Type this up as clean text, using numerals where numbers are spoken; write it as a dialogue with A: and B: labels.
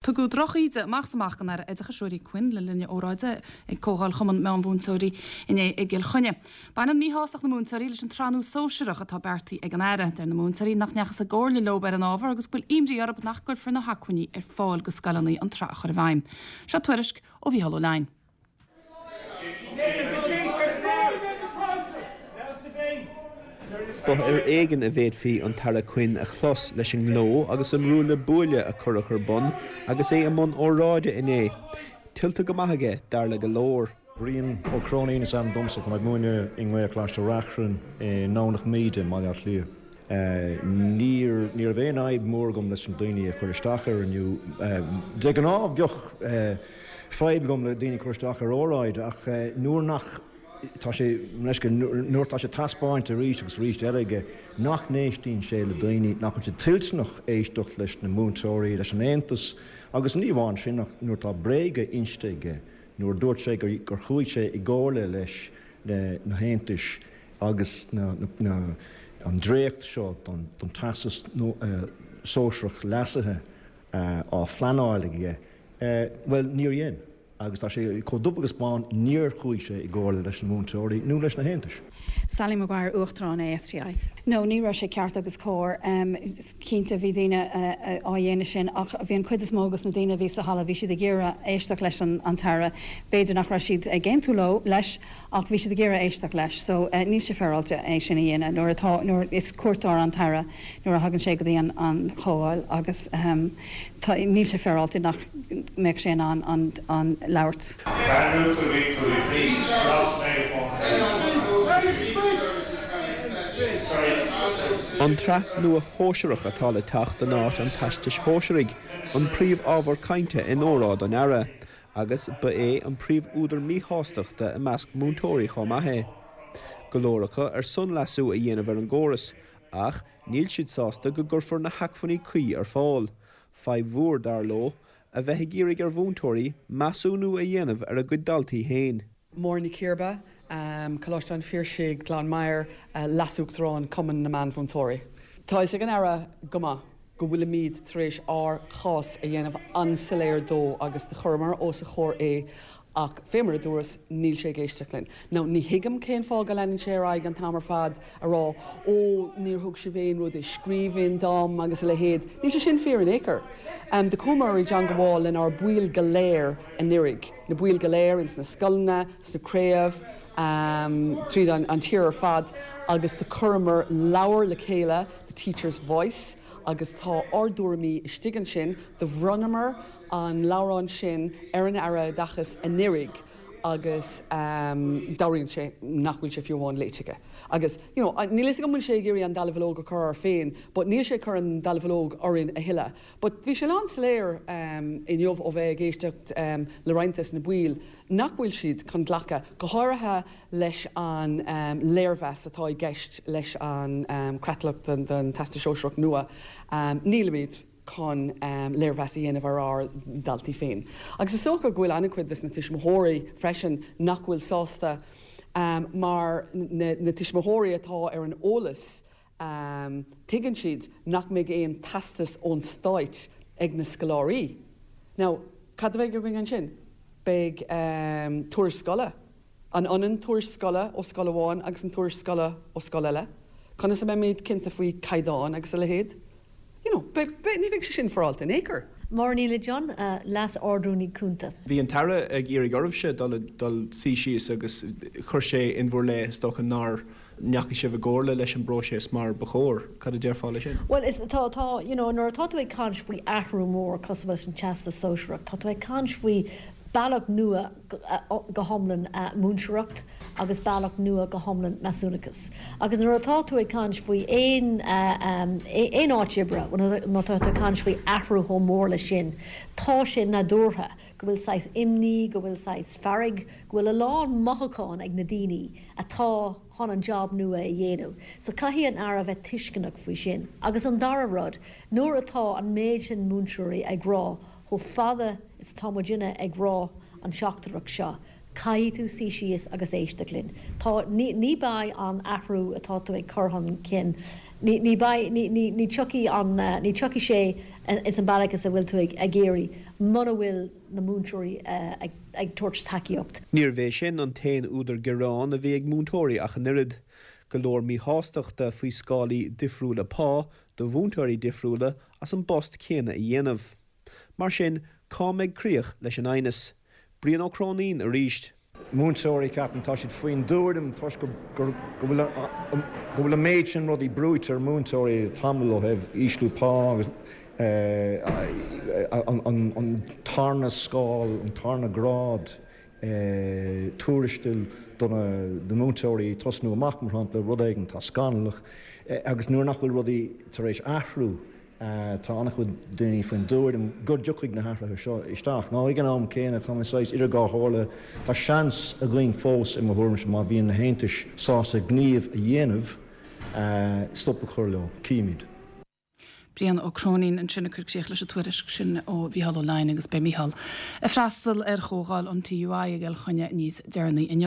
A: Tugadh droch-íde amach is amach don Aire Oideachais Ruairí Quinn le linn a óráide ag Comhdháil Chumann Meánmhúinteoirí inné i gCill Chainnigh. Baineann míshástacht na múinteoirí leis an tsraith nua sóisearach atá beartaithe ag an Aire. Deir na múinteoirí nach ndeachthas i gcomhairle leo ar an ábhar agus go bhfuil imní orthu nach gcuirfear na hacmhainní ar fáil go scoileanna an tsraith a chur i bhfeidhm. Seo tuairisc ó Mhícheál Ó Leidhin.
B: Ba ar éigean a bhféadfaí an tAire Quinn a chlos leis an ngleo agus an ruaille buaille a cuireadh ar bun agus é i mbun óráide inné. Tuillte go maith aige, dar le go leor.
C: Brian Ó Cróinín is ainm domsa. Tá mé ag múineadh i nGaelcholáiste Reachrann i nDomhnach Míde i mBaile Átha Cliath. Níor, ní raibh aon fhadhb mhór agam leis na daoine a chuir isteach air inniu. De ghnáth bheadh fadhb agam le daoine cur isteach ar óráid ach nuair nach, tá sé, leis nuair atá sé taispeáinte arís agus arís eile aige nach n-éistíonn sé le daoine, nach bhfuil sé toilteanach éisteacht leis na múinteoirí, leis an aontas agus ní amháin sin ach nuair atá bréaga inste aige, nuair a dúirt sé gur chuaigh sé i gcomhairle leis na haontais agus an dréacht seo don Teastas Sóisearach leasaithe á phleanáil aige, bhuel, níor dhein. Agus tá sé chomh dubh agus bán, níor chuaigh sé i gcomhairle leis na múinteoirí nó leis na haontais.
A: Sally Maguire, Uachtarán ASTI. No, ní raibh sé ceart agus cóir. Cinnte, bhí daoine á dhéanamh sin ach bhí an chuid is mó dos na daoine a bhí sa halla, bhí siad ag iarraidh éisteacht leis an tAire. B'fhéidir nach raibh siad ag aontú leo, leis ach bhí siad ag iarraidh éisteacht leis. So, níl sé féaráilte é sin a dhéanamh nuair atá, nuair is cuairteoir an tAire nuair a thagann sé go dtí an an chomhdháil agus tá, níl sé féaráilte nach mbeadh sé in ann an an labhairt.
D: Andrew, could we, could we please cross
B: An tsraith nua shóisearach atá le teacht in áit an Teastais Shóisearaigh an príomh-ábhar cainte in óráid an Aire agus ba é an príomh-údar míshástachta i measc múinteoirí chomh maith é. Go leor acu ar son leasú a dhéanamh ar an gcóras ach níl siad sásta go gcuirfear na hacmhainní cuí ar fáil. Fadhb mhór, dar leo, a bheith ag iarraidh ar mhúinteoirí measúnú a dhéanamh ar a gcuid daltaí féin.
E: Máire Ní Chiarba, Coláiste an Phiarsaigh, Gleann Maghair, Leas-Uachtarán Cumann na Meánmhúinteoirí. Tá a fhios ag an Aire go maith go bhfuilimíd tar éis ár chás a dhéanamh an-soiléir dó agus do chuireamar os a chomhair é ach fé mar a dúras, níl sé ag éisteacht linn. Now, ní thuigim cén fáth go leanann sé ar aghaidh an t-am ar fad a rá ó níor thug sibh aon rud i scríbhinn dom agus a leithéid. Níl sé sin fíor in aon chor. Do chuamar i dteangabháil lenár baill go léir anuraidh, na baill go léir ins na scoileanna, sna craobh, tríd an tír ar fad agus do chuireamar leabhar le chéile, The Teacher's Voice, agus tá ár dtuairimí istigh ansin. Do bhronnamar an leabhrán sin ar an Aire Oideachais anuraidh agus dealraíonn sé nach bhfuil sé fiú amháin léite aige. Agus, you know, níl a fhios agam an bhfuil sé ag iarraidh an dallamullóg a chur air féin but níl sé ag cur an dallamullóg orainn a thuilleadh. But bhí sé lán soiléir inniu ó bheith ag éisteacht le roinnt des na baill nach bhfuil siad chun glacadh, go háirithe leis an léirmheas atá i gceist leis an creatlach don Teastas Sóisearach nua. Nílimid chun léirmheas a dhéanamh ar ár ndaltaí féin. Agus is dócha go bhfuil an-chuid des na tuismitheoirí freisin nach bhfuil sásta mar na tuismitheoirí atá ar an eolas Tuigeann siad nach mbeidh aon teastas ón stáit ag na scoláirí. Now, cad a bheidh againn ansin? Beidh tuairisc scoile. An ionann tuairisc scoile ó scoil amháin agus an tuairisc scoile ó scoil eile? Conas a mbeimid cinnte faoi caighdeán agus a leithéid? You know, beidh, beidh, ní bheidh sé sin féaráilte in aon chor.
F: Máire Ní Loideáin, Leas-Ard-Rúnaí Cúnta.
B: Bhí an tAire ag iarraidh oraibhse dul, dul suí síos agus chuir sé in bhur leith, is dócha, nár ndeachaigh sibh i gcomhairle leis an bpróiseas mar ba chóir. Cad a déarfá leis sin?
F: Bhuel, is, tá, tá, you know, nuair atá tú ag caint faoi athrú mór cosúil leis an Teastas Sóisearach, tá tú ag caint faoi bealach nua go hiomlán múinteoireacht agus bealach nua go hiomlán measúnachas. Agus nuair atá tú ag caint faoi aon aon áit oibre, nuair atá tú ag caint faoi athrú chomh mór leis sin, tá sé nádúrtha go bhfuil saghas imní, go bhfuil saghas fearg, go bhfuil a lán mothúchán ag na daoine atá chun an job nua a dhéanamh. So caithfidh an Aire bheith tuisceanach faoi sin. Agus an dara rud, nuair atá an méid sin múinteoirí ag rá chomh fada is atá muidinne ag rá an teachtaireacht seo. Caithfidh tú suí síos agus éisteacht linn. Tá, ní, ní beidh an athrú atá tú ag cur chun cinn, ní, ní beidh, ní, ní, ní tiocfaidh an, ní tiocfaidh sé ins an bealach is a bhfuil tú ag, ag iarraidh muna bhfuil na múinteoirí ag, ag tabhairt tacaíocht.
B: Níorbh é sin an t-aon údar gearáin a bhí ag múinteoirí ach an oiread. Go leor míshástachta faoi scálaí difriúla pá do mhúinteoirí difriúla as an bpost céanna a dhéanamh. Mar sin, cá mbeidh críoch leis an aighneas? Brian Ó Cróinín arís.
C: Múinteoirí, ceapaim, tá siad faoin dtuairim, toisc go bhfuil go bhfuil an méid sin rudaí brúite ar mhúinteoirí le tamall ó thaobh ísliú pá agus an tarna scáil, an tarna grád tuarastail do na múinteoirí tosnú amach, mar shampla, rud éigin atá scannalach agus nuair nach bhfuil rudaí tar éis athrú. Tá an-chuid daoine faoin dtuairim go dtiocfaidh na hathruithe seo isteach. Nó ag an am céanna, tá mé saghas idir dhá chomhairle. Tá seans againn fós, i mo thuairimse, má bhíonn na haontais sásta gníomh a dhéanamh, stop a chur leo. Cífimid.
G: Brian Ó Cróinín ansin ag cur críoch leis an tuairisc sin ó Mhícheál Ó Leidhin agus beidh Mícheál ag freastal ar chomhdháil an TUI i gCill Chainnigh níos deireanaí inniu.